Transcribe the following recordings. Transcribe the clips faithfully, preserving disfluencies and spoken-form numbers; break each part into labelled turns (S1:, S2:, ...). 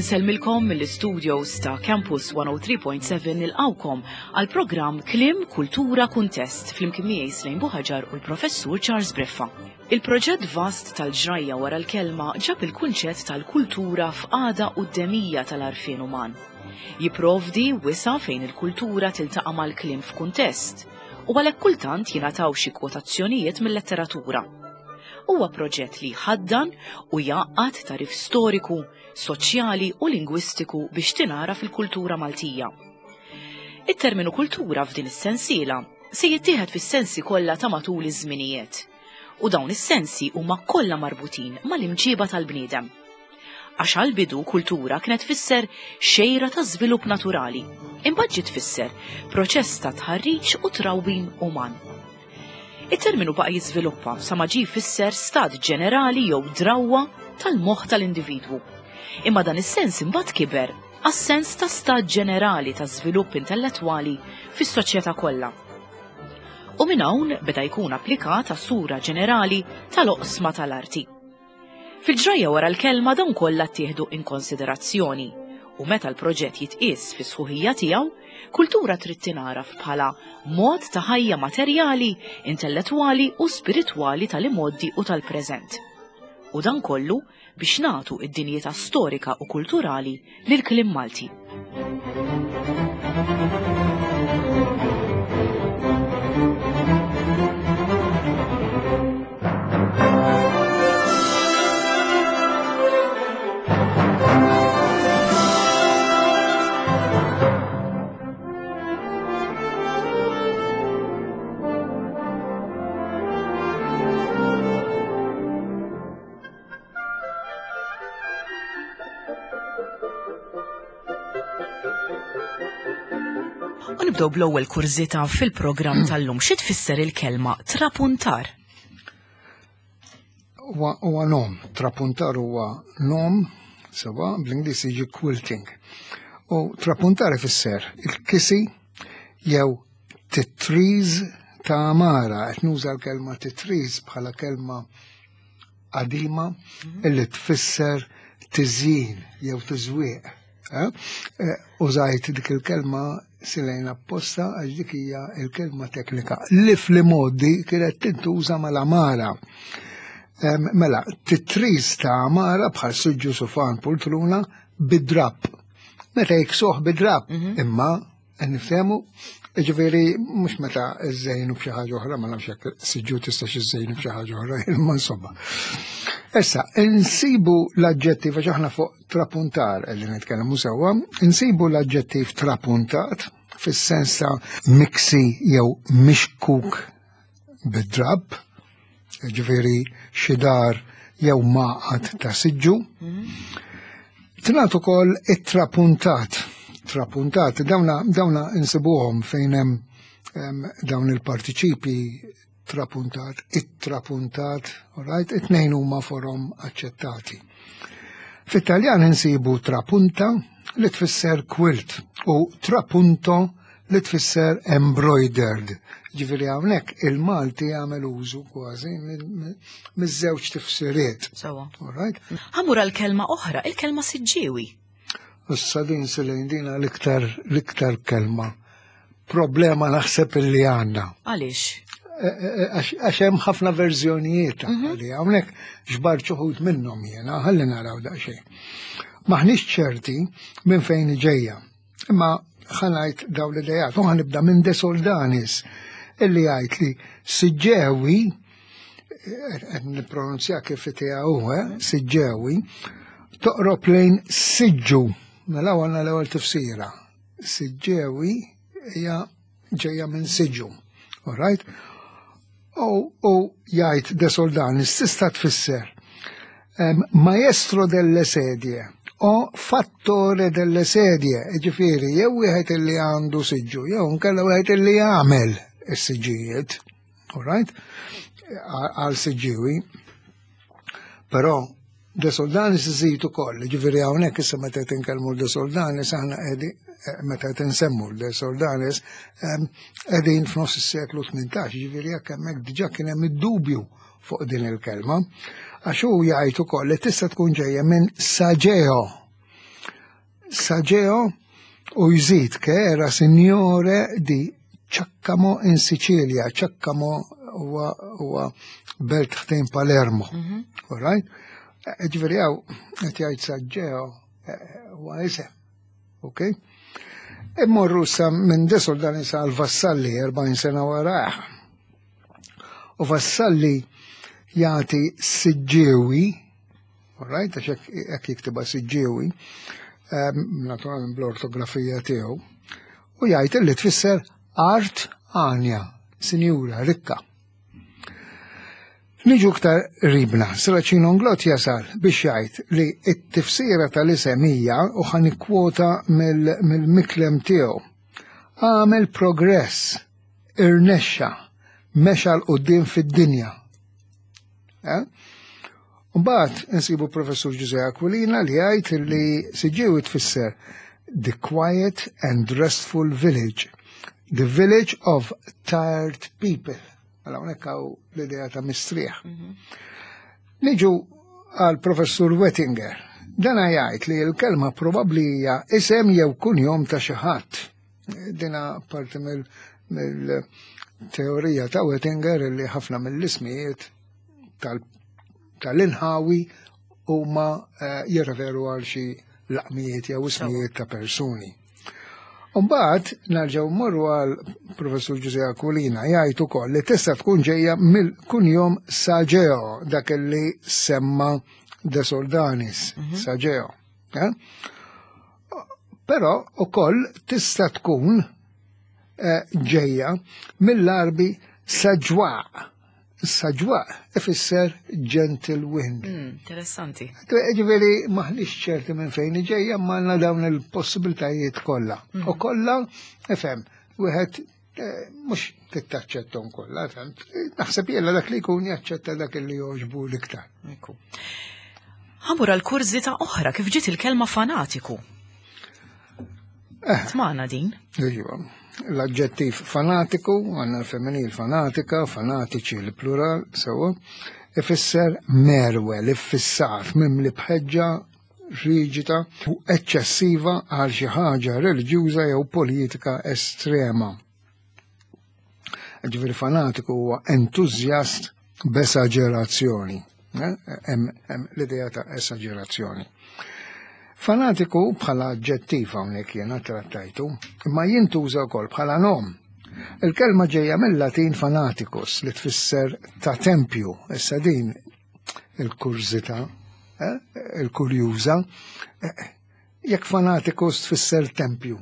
S1: Insellmilkom mill-studios ta' Campus one oh three point seven, nilqgħukom għal programm Kliem Kultura Kuntest flimkien miegħi Slejn Buħaġar u l-Professur Charles Briffa. Il-proġett vast tal-ġrajja wara l-kelma ġab il-kunċett tal-kultura f'qagħda quddemija tal-għarfien uman. Jiprovdi wisa' fejn il-kultura tiltaqa' mal-kliem f'kuntest u għalhekk kultant jingħataw xi kwotazzjonijiet mill-letteratura. Huwa proġett li ħaddan u jgħaqqad tagħrif storiku, soċjali u lingwistiku biex tingħaraf il-kultura Maltija. It-terminu kultura f'din is-sensiela se jittieħed fis-sensi kollha ta' matul iż-żminijiet. U dawn is-sensi huma kollha marbutin mal-imġiba tal-bniedem. Għax għal-bidu kultura kienet tfisser xejra ta' żvilupp naturali, imbagħad ġiet tfisser proċess ta' tħarriġ u trawwim uman. Il-terminu baqa' jiżviluppa sa ma ġie jfisser stat ġenerali jew drawwa tal-moħħ tal-individwu. Imma dan is-sens imbagħad kiber għas-sens ta' stat ġenerali ta' żvilupp intellettwali fis-soċjetà kollha. U minn hawn beda jkun applikat għas-sura ġenerali tal-oqsma tal-arti. Fil-ġrajja wara l-kelma dawn kollha ttieħdu in konsiderazzjoni u meta l-proġett jitqies fi sħuħija tiegħu, kultura trid tingħaraf bħala mod ta' ħajja materjali, intellettwali u spiritwali tal-imgħoddi u tal-preżent. U dan kollu biex nagħtu id-dinjità storika u kulturali lil kliem Malti. U nibdew bl-ewwel kurżità fil-programm tal-lum. Xi tfisser il-kelma trapuntar?
S2: Huwa huwa nom, trapuntar huwa nom, sewwa, bl-Ingliż jiġi quilting. U trapuntar ifisser il-kisi jew titriż ta' għamara, qed nuża l-kelma titriż bħala kelma qadima illi tfisser tiżjin jew tiżwieq. Eh? Eh, Użajt dik il-kelma, Silejn, apposta għax dik hija il-kelma teknika li fl-modi kienet tintuża mal-għamara. Em, Mela, titriż ta' għamara bħal suġġu, sufan, poltruna bid-drap. Meta jiksuh bid-drap, imma nifhemu, ġifieri mhux meta iżżejnu b'xi ħaġa oħra, ma nafx jekk siġġu tistax iżżejnu b'xi ħaġa oħra, imma insomma. Issa, insibu l-aġġettiv, għax aħna fuq trapuntar li nitkellmu sewwa, insibu l-aġġettiv trapuntat fis-sens ta' miksi jew mixkuk bid-drab, ġifieri xi dar jew maqgħad ta' siġġu. Tingħad ukoll it-trapuntat. Trapuntat, dawna, dawna insibuhom fejn hemm em, dawn il-partiċipi trapuntat, it-trapuntat, all right, it-tnejn huma forom aċċettati. Fit-Taljan insibu trapunta li tfisser quilt u trapunto li tfisser embroidered. Ġifieri hawnhekk il-Malti jagħmel użu kważi miż-żewġ tifsiriet.
S1: Sewwa.
S2: All right?
S1: Ħa mmur għal kelma oħra, il-kelma siġġiewi.
S2: Issa din, Silejn, dina l-iktar l-iktar kelma problema naħseb illi għandna.
S1: Għaliex?
S2: Għax għax hemm ħafna verżjonijiet li hawnhekk ġbart uħud minnhom jiena, ħalli naraw daqsxejn. Maħniex ċerti minn fejn ġejja. Imma ħa ngħid dawn l-idejat, u ħa nibda minn De Soldanis illi jgħid li siġġewi, qed nippronunzja kif tiegħu hu, eh, siġġewi, toqrob lejn siġġu. Mela għandna l-ewwel tifsira. Siġġewi hija ġejja minn siġġu. All right? U, u jgħid De Soldanis tista' tfisser em, maestro delle sedie o fattore delle sedie, ġifieri, jew wieħed illi għandu siġġu, jew nkella wieħed illi jagħmel is-siġġijiet, all right? Għal siġġiwi. Però De Soldanis iżid ukoll, ġifieri hawnhekk issa meta qed inkellmu De Soldanis aħna qegħdin eh, meta qed insemmu De Soldanis em, qegħdin f'nofs is-seklu tmintax, ġifieri jekk hemmhekk diġà kien hemm id-dubju fuq din il-kelma, għax hu jgħid ukoll li tista' tkun ġejja minn sageo. Sageo u jżid che era signore di Caccamo in Sicilia. Caccamo huwa huwa belt ħdejn Palermo.
S1: Mhm.
S2: All right? Ġifieri hawn qed jgħid Saggeo eh, huwa isem. Ok? Immorru sa minn De Soldanis sa l-Vassalli erbgħin sena warah. U Vassalli jagħti Siġġiewi, all right, għax hekk hekk jiktibha Siġġiewi, ehm, naturalment bl-ortografija tiegħu, u jgħid li tfisser art għanja, sinjura, rikka. Niġu iktar qribna, Serracino Inglott jasal biex jgħid li t-tifsira tal-isem hija, u ħa nikkwota mill-miklem tiegħu, għamel progress, irnexxa, mexa 'l quddiem fid-dinja. Eh? Mbagħad insibu Professur Ġużè Aquilina li jgħid li Siġġiewi tfisser the quiet and restful village, the village of tired people. Mela hawnhekk hawn l-idea ta' mistrieħ. Niġu għal Professur Wettinger. Dana jgħid li l-kelma probabbli hija isem jew kunjom ta' xi ħadd. Dina parti mill-teorija ta' Wettinger li ħafna mill-ismijiet tal-inħawi huma eh, jirreferu għal xi laqmijiet jew ismijiet ta' persuni. Umbagħad nerġgħu mmorru għal Professur Ġużè Aquilina, jgħid ukoll li tista' tkun ġejja mill-kunjom Sageo, dak li semma De Soldanis, mhm. Sageo. Eh? Però ukoll tista' tkun eh, ġejja mill-Arbi Saġwa. Saġwa ifisser gentle wind.
S1: Mm, interessanti.
S2: Ġifieri maħniex ċerti minn fejn ġejja, ma għandna dawn il-possibiltajiet kollha. Mm. U kollha, ifhem, wieħed eh, mhux tittaċċettom kollha, fhem. Naħseb jella dak li jkun jaċċetta dak li jogħġbu l-iktar.
S1: Ħa mmur għal kurżità oħra, kif ġiet il-kelma fanatiku?
S2: Eh.
S1: Tmana din?
S2: Iva. L-aġġettiv fanatiku, għandna l-femminil fanatika, fanatiċi l-plural, sewa, ifisser merwel, iffissat, mimli bħeġġa riġida u eċċessiva għal xi ħaġa reliġjuża jew politika estrema. Ġifieri fanatiku huwa entużjast b'esaġerazzjoni. Eh? Hemm l-idea ta' esaġerazzjoni. Fanatiku bħala aġġettiv hawnhekk jiena trattajtu, imma jintuża wkoll bħala nom. Il-kelma ġejja mill-Latin fanaticus li tfisser ta' tempju. Issa din il-kurżità, eh? il-kurjuża, eh, jekk fanaticus tfisser tempju.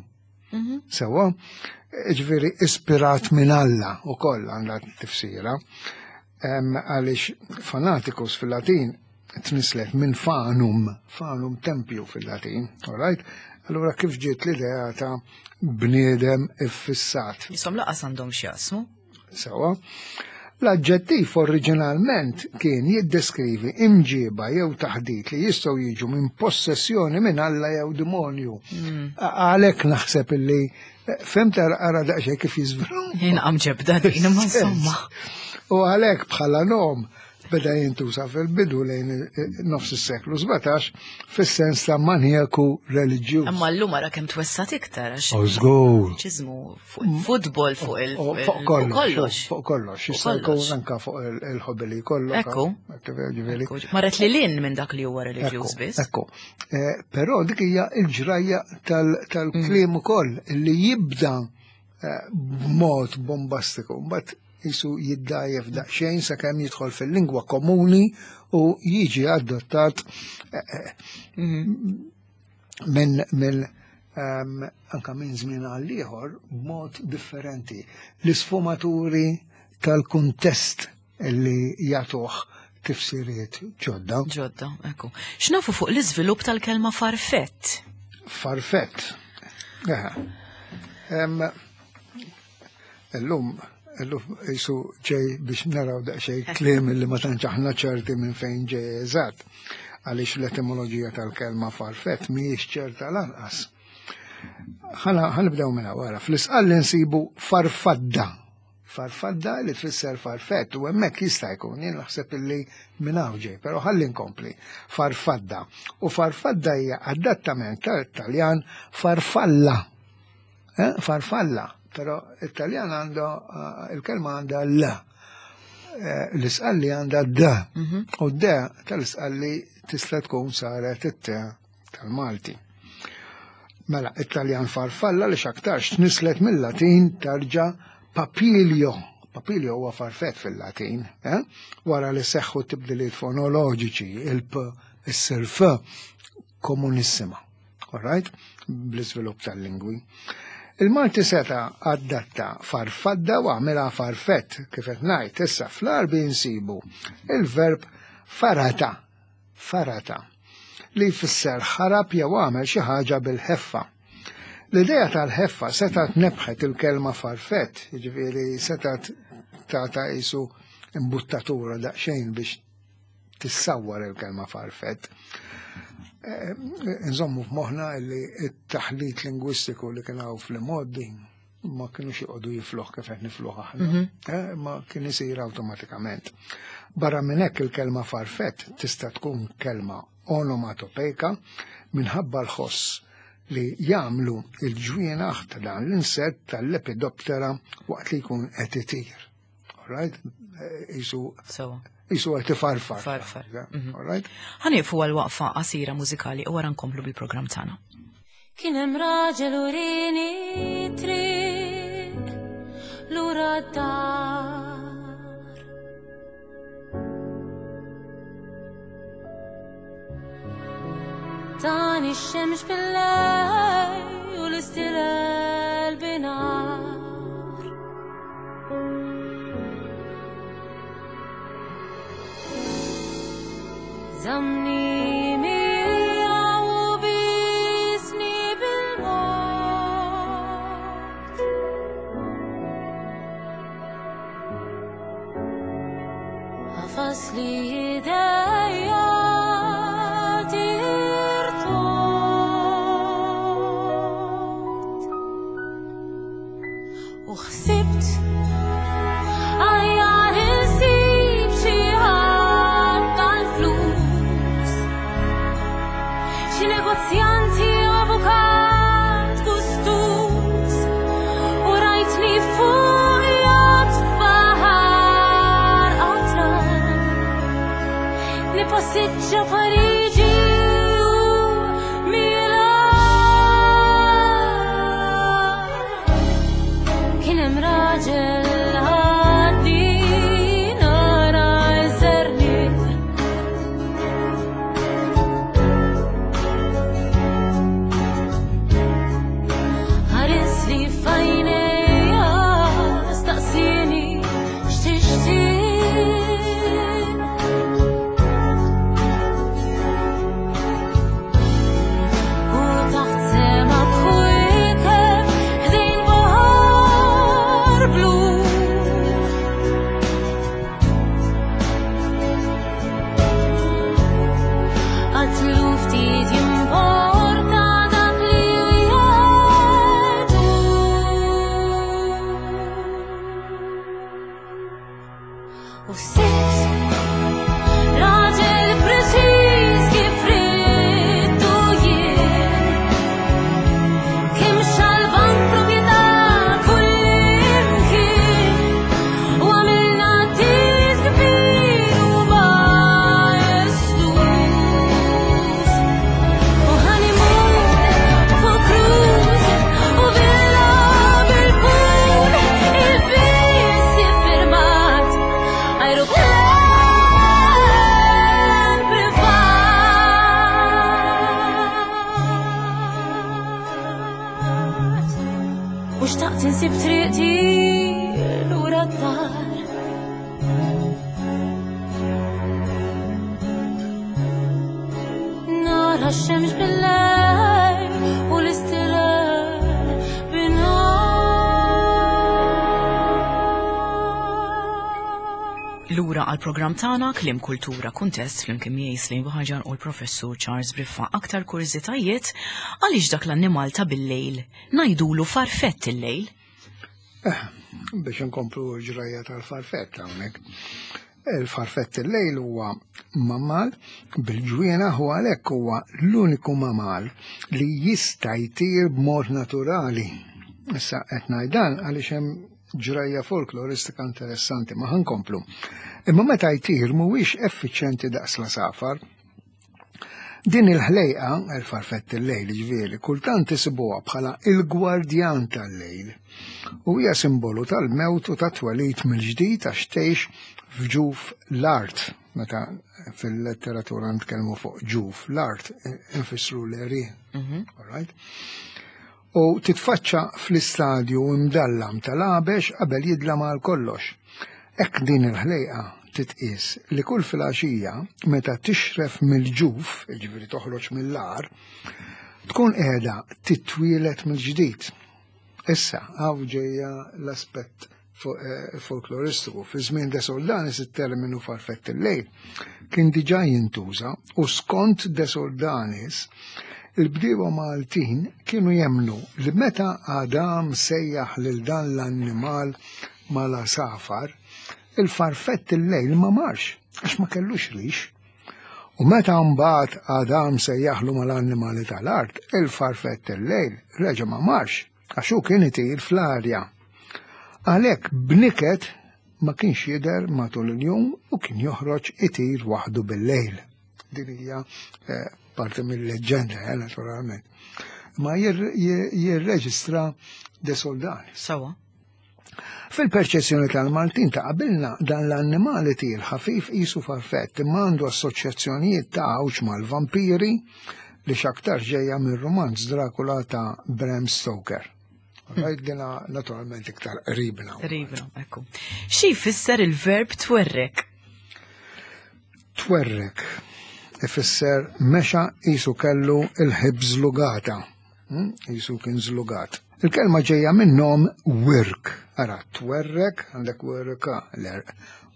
S1: Mhm.
S2: Sewa, ġifieri ispirat minn Alla u koll għandha tifsira. Għaliex fanaticus fil-Latin tnislet minn fanum, fanum tempju fil-Latin, all right? Allura kif ġiet l-idea ta' bniedem iffissat?
S1: Jisom laqas għandhom x'jaqsmu.
S2: Sewa. L-aġġettiv oriġinalment kien jiddeskrivi imġiba jew taħdit li jistgħu jiġu minn possessjoni minn Alla jew demonju.
S1: Mm.
S2: Għalhekk naħseb illi fhimt, ara daqsxejn kif jiżvilupp.
S1: Jien ġebda din, imma insomma.
S2: U għalhekk bħala nom beda jintuża fil-bidu lejn nofs is-seklu sbatax fis-sens ta' manjaku reliġjuż.
S1: Imma llum ara kemm twessat iktar għax.
S2: Oh, żgur.
S1: Ċiżmu fuq il-futbol, fuq il-
S2: Oh, fuq kollox.
S1: Kollox.
S2: Fuq kollox.
S1: Fuq
S2: Jista' jkun
S1: kollox.
S2: anka fuq il- il-ħobbi li jkollok.
S1: Ekku.
S2: Ġifieri.
S1: Ekku, marret li lin minn dak li huwa reliġjuż
S2: Ekku,
S1: biss.
S2: Ekku. Eh, Però dik hija l-ġrajja tal-kliem ukoll li jibda eh, b'mod bombastiku, mbagħad jisu jiddajjef daqsxejn sakemm jidħol fil-lingwa komuni u jiġi adottat eh, eh, minn minn ehm, anka minn żmien għal ieħor b'mod differenti. L-isfumaturi tal-kuntest li jagħtuh tifsiriet ġodda.
S1: Ġodda, ekku. X'nafu fuq l-iżvilupp tal-kelma farfett?
S2: Farfett. Eħe. Em, Illum, illum jisu ġej biex naraw daqsxejn kliem li ma tantx aħna ċerti minn fejn ġej eżatt. Għaliex l-etimoloġija tal-kelma farfett mhijiex ċerta lanqas. Ħana ħanibdew minn wara. Fl-Isqalli nsibu farfadda. Farfadda li tfisser farfett, u hemmhekk jista' jkun, jien naħseb illi minn hawn ġej, però ħalli nkompli. Farfadda. U farfadda hija adattament tal-Italjan farfalla. Eh? Farfalla, però Italjan għandu il-kelma għandha l. L-Isqalli għandha d. U d tal-Isqalli tista' tkun saret it-t tal-Malti. Mela, Italjan farfalla li x'aktarx tnislet mill-Latin tarġa' papilio. Papilio huwa farfett fil-Latin, eh? Wara li seħħu tibdiliet fonoloġiċi, il-p issir f komunissima. All right? Bl-iżvilupp tal-lingwi. Il-Malti seta adatta farfadda u għamilha farfett, kif qed ngħid, issa fl-Għarbi nsibu il-verb farata, farata, li jfisser ħarab jew għamel xi ħaġa bil-ħeffa. L-idea tal-ħeffa setat nebħet il-kelma farfett, jiġifieri setat tata qisu imbuttatura daqsxejn biex tissawwar il-kelma farfett. Nżommu f'moħħna li t-taħlit lingwistiku li kien hawn fl-imgħoddi ma kienux joqogħdu jifluh kif qed nifluh aħna, ma kien isir awtomatikament. Barra minn hekk il-kelma farfett tista' tkun kelma onomatopejka minħabba l-ħoss li jagħmlu il-ġwienaħ ta' dan l-insett tal-lepidoptera waqt li jkun qed itir. All right? Isu Isu qed ifarfar.
S1: Farfar.
S2: All right?
S1: Ħanieqfu għal waqfa qasira mużikali u wara nkomplu bil-programm tagħna.
S3: Kien hemm raġel urini triq lura d-dar. Tani x-xemx bil-lejl u l-istilel binar. Zamni miegħu u bisni bil-mod. Għafas li idejja Siġġa Parigi u Milan. Kien hemm raġel ħaddi nara żerniq. Ħares li f'għajnejja staqsini x'tixtieq. U sitt raġel preċiż kif ridtu jien, kemm xalban proprjetà kullimkien, u għamilna tir kbir u majestus. U honeymoon fuq cruise u villa bil-pool, il-biss iffirmat aeroplan privat. U xtaqt insib triqti lura d-dar. Nara x-xemx bil-lejl u l-istilel bin-nhar.
S1: Lura għal programm tagħna Kliem Kultura Kuntest flimkien miegħi Slim Buħaġar u l-Professur Charles Briffa. Aktar kurżitajiet għaliex dak l-annimal ta' bil-lejl ngħidulu farfett il-lejl.
S2: Eh, biex nkomplu ġrajja tal-farfett hawnhekk. Il-farfett il-lejl huwa mammal bil-ġwienaħ u għalhekk huwa l-uniku mammal li jista' jtir b'mod naturali. Issa qed ngħid dan għaliex hemm ġrajja folkloristika interessanti ma ħankomplu. Imma meta jtir mhuwiex effiċjenti daqs l-għasafar. Din il-ħlejqa, il-farfett il-lejl ġifieri, kultant isibuha bħala il-gwardjan tal-lejl. U hija simbolu tal-mewt u tat-twelid mill-ġdid għax tgħix f'ġuf l-art. Meta fil-letteratura nitkellmu fuq ġuf l-art, infissru l-għerien. All right? U titfaċċa fl-istadju imdallam tal-għabex qabel jidlam għal kollox. Hekk din il-ħlejqa titqis li kull filgħaxija meta tixref mill-ġuf, jiġifieri toħroġ mill-għar, tkun qiegħda titwielet mill-ġdid. Issa, hawn ġejja l-aspett eh, folkloristiku. Fi żmien De Soldanis it-terminu farfett il-lejl kien diġà jintuża u skont De Soldanis il-bdiewa Maltin kienu jemnu li meta Adam sejjaħ lil dan l-annimal mal-għasafar, il-farfett il-lejl ma marx, għax ma kellux rix. U meta mbagħad Adam sejjaħlu mal-annimali tal-art, il-farfett il-lejl reġa' ma marx, għax hu kien itir fl-arja. Għalhekk bniket ma kienx jidher matul il-jum u kien joħroġ itir waħdu bil-lejl. Din hija eh, parti mill-leġġenda, eh, naturalment. Ma jirreġistra De Soldanis.
S1: Sawa.
S2: Fil-perċezzjoni tal-Maltin ta' qabilna dan l-annimali tir ħafif qisu farfett imma għandu assoċjazzjonijiet ta' għawġ mal-vampiri li x'aktar ġejja mir-romanz Dracula ta' Bram Stoker. Right, dina naturalment iktar qribna.
S1: Qribna, ekku. Xi jfisser il-verb twerrek?
S2: Twerrek ifisser mexa qisu kellu il-hip żlugata. Hmm? Qisu kien żlugat. Il-kelma ġejja minn nom wirk. Ara, twerrek, għandek wirka, l-erq.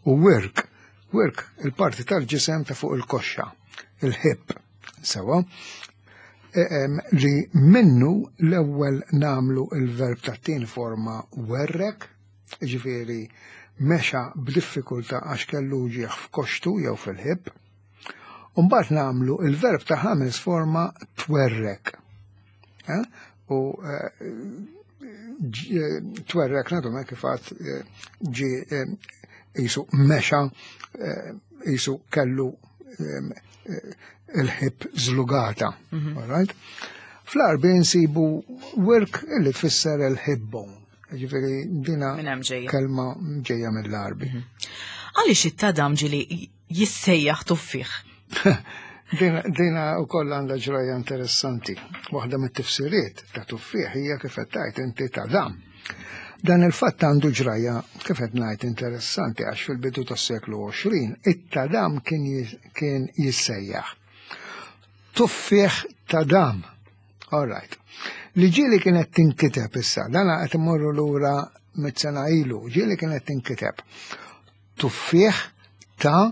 S2: U wirk, wirk, il-parti tal-ġisem ta' fuq il-koxxa, il-hip. Sewa, e, li minnu l-ewwel namlu il-verb tat-tieni forma werrek, ġifieri mexa b'diffikultà għax kellu ġieħ f'koxtu jew fil-hip. Umbagħad namlu il-verb ta' ħames forma twerrek. Eh? U eh, eh, twerrek nadu kif għad ġi qisu mexa qisu kellu il-hip żlugata. Mhm. All right? Fl-Għarbi nsibu wirk illi tfisser il-hip bone. Ġifieri dina kelma ġejja mill-Għarbi. Mhm.
S1: Għaliex it-tadam ġieli jissejjaħ tuffieħ?
S2: Dina u koll għandha ġrajja interessanti. Waħda mit-tifsiriet ta' tuffieħ hija kif qed tgħid inti tadam. Dan il-fatt għandu ġrajja kif qed ngħid interessanti għax fil-bidu tas-seklu għoxrin it-tadam kien kien jissejjaħ. Tuffieħ tadam. All right. Li ġieli kienet tinkiteb issa, dan qed immorru lura mit-sena ilu, ġieli kienet tinkiteb. Tuffieħ ta'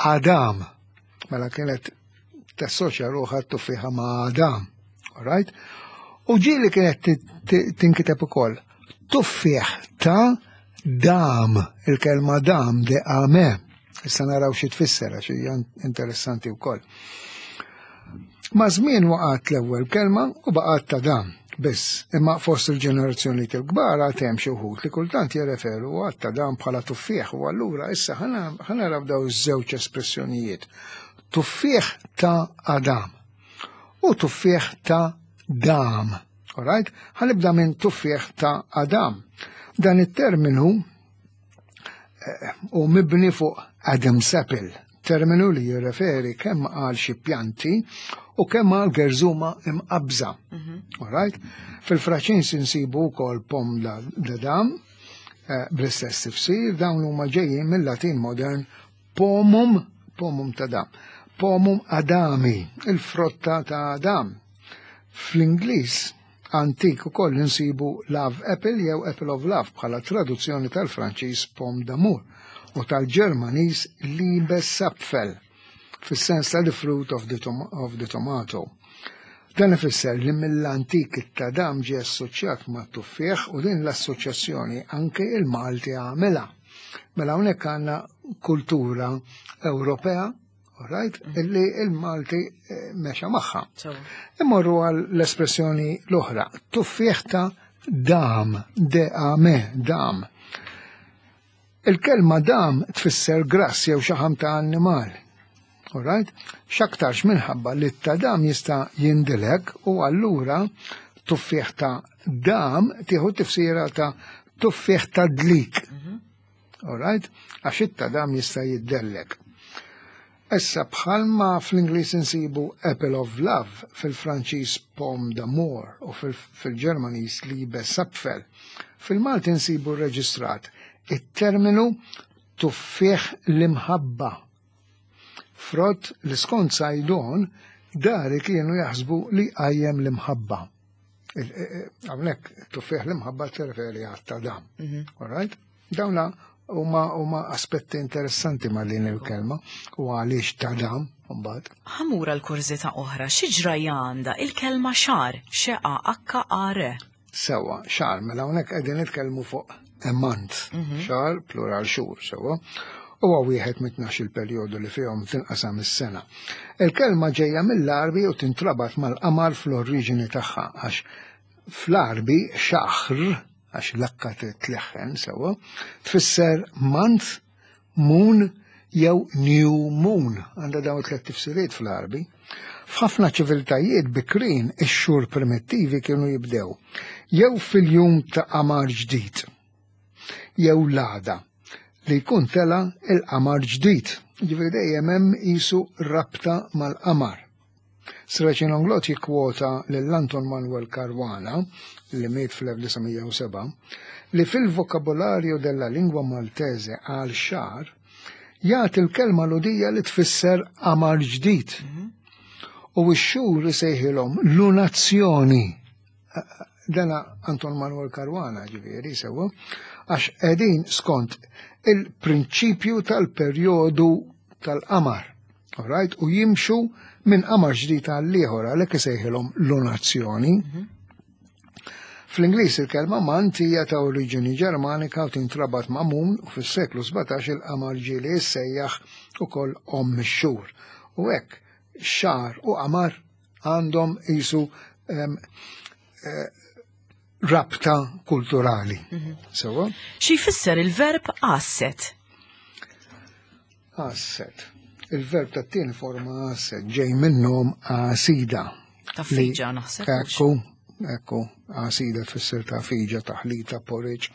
S2: Adam. Mela kienet tassoċja ruħha t-tuffieħa ma' Adam. All right? U ġieli kienet tinkiteb ukoll tuffieħ ta' dam, il-kelma dam de ame. Issa naraw xi tfisser għax hija interessanti wkoll. Ma' żmien waqgħet l-ewwel kelma u baqgħet ta' dam. Biss, imma fost il-ġenerazzjoni il-kbar għad hemm xi wħud li kultant jirreferu għat ta' dam bħala tuffieħ u allura issa ħa naraw daw iż-żewġ espressjonijiet. Tuffieħ ta' Adam u tuffieħ ta' dam. All right? Ħa nibda minn tuffieħ ta' Adam. Dan it-terminu eh, u mibni fuq Adam's apple, terminu li jirreferi kemm għal xi pjanti u kemm għal gerżuma imqabża. Mhm. All right? Fil-Franċiż insibu wkoll pomme d'Adam eh, bl-istess tifsir, dawn huma ġejjin mill-Latin modern pomum, pomum ta' dam, pomum adami, il-frotta ta' Adam. Fl-Ingliż antik ukoll insibu love apple jew apple of love bħala traduzzjoni tal-Franċiż pomme d'amour u tal-Ġermaniż Liebesapfel fis-sens ta' the fruit of the, of the tomato. Dan ifisser li mill-antik it-tadam ġie assoċjat ma' tuffieħ u din l-assoċjazzjoni anke il-Malti għamilha. Mela hawnhekk għandna kultura Ewropea, right, illi il-Malti eh, mexa magħha. Immorru għal l-espressjoni l-oħra, tuffieħ ta' dam, D-A-M, dam. Il-kelma dam tfisser grass jew xaħam ta' annimal. Alright? X'aktarx minħabba li t-tadam jista' jindilek u allura tuffieħ ta' dam tieħu tifsira ta' tuffieħ ta' dlik. Alright? Għax it-tadam jista' jiddellek. Issa bħalma fl-Ingliż insibu Apple of Love, fil-Franċiż Pomme d'amour u fil-Ġermaniż Liebesapfel, fil-Malti nsibu reġistrat it-terminu tuffieħ l-imħabba. Frott li skont Saydon dari kienu jaħsbu li għajjem l-imħabba. Hawnhekk tuffieħ l-imħabba tirreferi għat-tadam. All right? Dawna huma huma aspetti interessanti ma' din il-kelma u għaliex tadam mbagħad.
S1: Ħa mmur għal kurżità oħra, xi ġrajja għandha il-kelma xahar, X A H A R.
S2: Sewa, xahar, mela hawnhekk qegħdin nitkellmu fuq a month, xahar plural xhur, sewa. Huwa wieħed mit-tnax il-perjodu li fihom tinqasam is-sena. Il-kelma ġejja mill-Arbi u tintrabat mal-qamar fl-oriġini tagħha għax fl-Arbi xaħr, għax l-akka tleħħen sewa, tfisser month, moon jew new moon. Għandha dawn tliet tifsiriet fl-Arbi. F'ħafna ċiviltajiet bikrin ix-xhur primittivi kienu jibdew jew fil-jum ta' qamar ġdid jew l-għada li jkun tela il-qamar ġdid. Ġifieri dejjem hemm qisu rabta mal-qamar. Serracino Inglott jikkwota lil Anton Manuel Caruana, li miet fl-elf disa' mija u sebgħa, li fil-Vocabolario della Lingua Maltese għal xahar jagħti l-kelma Lhudija li tfisser qamar ġdid. U x-xhur isejħilhom lunazzjoni. Dana Anton Manuel Caruana ġifieri sewa, għax qegħdin skont il-prinċipju tal-perjodu tal-qamar. Alright? U jimxu minn qamar ġdid għal ieħor, għalhekk isejħilhom lunazzjoni. Fl-Ingliż il-kelma month hija ta' oriġini Ġermanika u tintrabat ma' moon u fis-seklu sbatax il-qamar ġieli jissejjaħ ukoll omm ix-xhur. U hekk xahar u qamar għandhom qisu em, eh, rabta kulturali. Sewa?
S1: Xi jfisser il-verb għasset?
S2: Għasset. Il-verb ta' tieni forma għasset ġej minnhom għasida.
S1: Ta' fiġa naħseb.
S2: Ekku, ekku, għasida tfisser ta' fiġa, taħlita, porridge.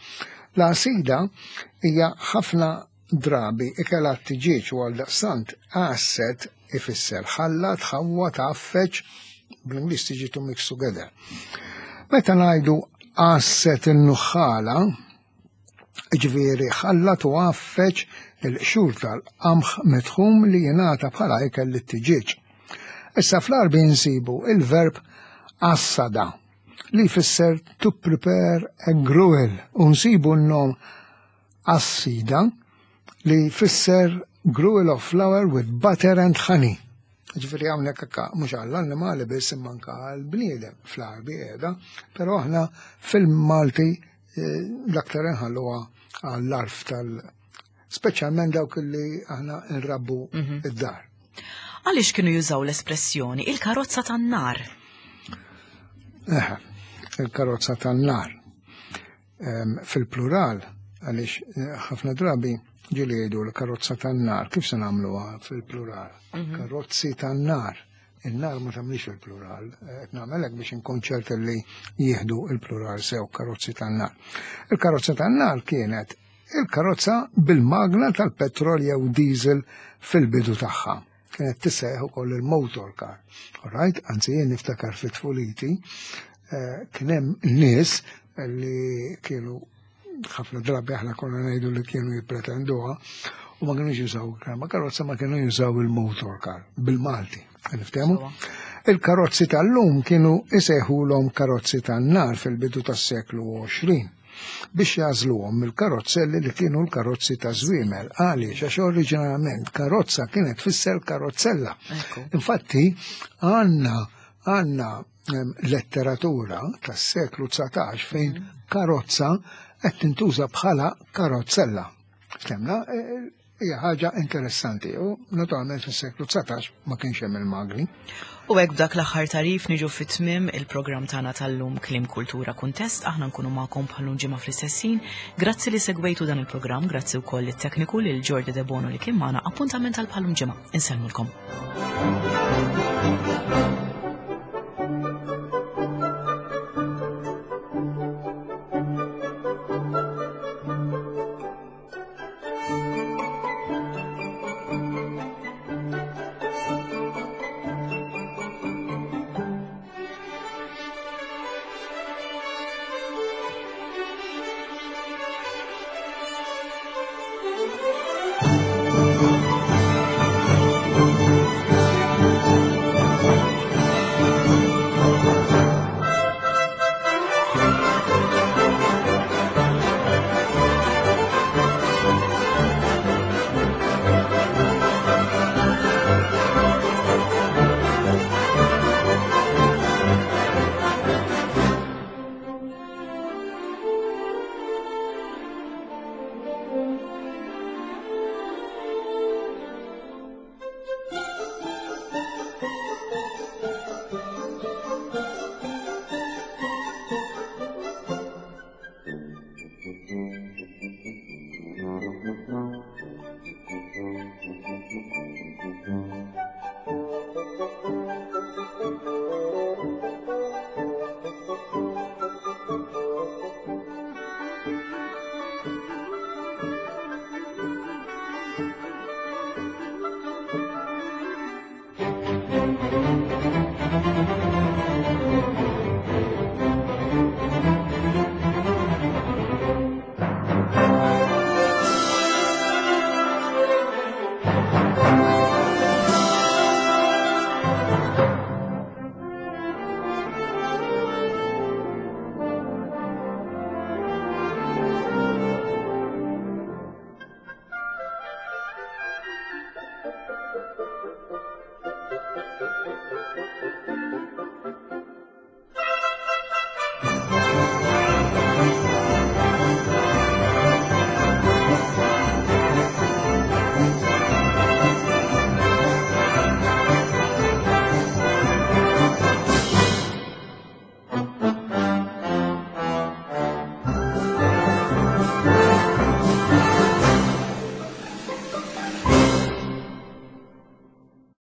S2: L-għasida hija ħafna drabi ikel għat-tiġieġ u għal daqstant għasset ifisser ħallat, ħawwad, għaffeġ, bl-Ingliż tiġi to mix together. Meta ngħidu għasset in-nuħħala, ġifieri ħallat u għaffeġ il-qxur tal-qamħ mitħum li jingħata bħala ikel lit-tiġieġ. Issa fl-Arbi nsibu il-verb assada li jfisser to prepare a gruel u nsibu n-nom assida li jfisser gruel of flour with butter and honey. Ġifieri hawnhekk akka mhux għall-annimali biss imma anke għall-bniedem fl-Arbi qiegħda, però aħna fil-Malti eh, l-aktar nħalluha għall-arf tal speċjalment dawk li aħna nrabbu id-dar.
S1: Għaliex kienu jużaw l-espressjoni il-karozza tan-nar?
S2: Eħe, il-karozza tan-nar. Em, Fil-plural, għaliex eh, ħafna drabi ġieli jgħidu l-karozza tan-nar, kif se nagħmluha fil-plural? Karozzi tan-nar. Il-nar ma tagħmlix fil-plural, qed nagħmelek biex inkun ċert li jieħdu il-plural sew, karozzi tan-nar. Il-karozza tan-nar kienet il-karozza bil-magna tal-petrol jew diesel fil-bidu tagħha. Kienet tissejjaħ ukoll il-motor car. All right? Anzi, jien niftakar fit tfuliti, eh, kien hemm nies li kienu ħafna drabi aħna konna ngħidu li kienu jippretenduha u ma kienux jużaw ma karozza, ma kienu jużaw il-motor car bil-Malti. Niftehmu? Il-karozzi tal-lum kienu isejħulhom karozzi tan-nar fil-bidu tas-seklu għoxrin biex jagħżluhom mill-karozzelli li kienu l-karozzi ta' żwiemel. Għaliex? Għax oriġinalment karozza kienet tfisser karozzella.
S1: Ekku.
S2: Infatti għandna Għandna letteratura tas-seklu dsatax fejn karozza qed tintuża bħala karozzella. Ftemna, e, hija ħaġa interessanti u naturalment fis-seklu dsatax ma kienx hemm il-magni.
S1: U hekk b'dak l-aħħar tagħrif niġu fit-tmiem il-programm tagħna tal-lum, Kliem, Kultura, Kuntest. Aħna nkunu magħkom bħal ġimgħa fl-istess ħin. Grazzi li segwejtu dan il-programm, grazzi wkoll it-tekniku lil Jordi De Bono li kien magħna. Appuntament għal bħal ġimgħa. Insellmulkom.